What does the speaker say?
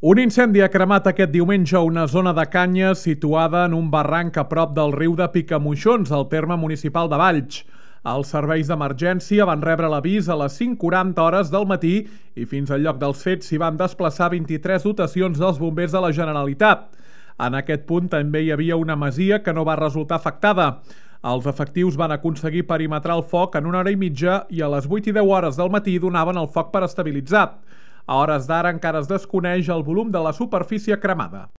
Un incendi ha cremat aquest diumenge una zona de canyes situada en un barranc a prop del riu de Picamoixons, al terme municipal de Valls. Els serveis d'emergència van rebre l'avís a les 5:40 hores del matí i fins al lloc dels fets s'hi van desplaçar 23 dotacions dels bombers de la Generalitat. En aquest punt també hi havia una masia que no va resultar afectada. Els efectius van aconseguir perimetrar el foc en 1 hora i mitja i a les 8:10 hores del matí donaven el foc per estabilitzat. A hores d'ara encara es desconeix el volum de la superfície cremada.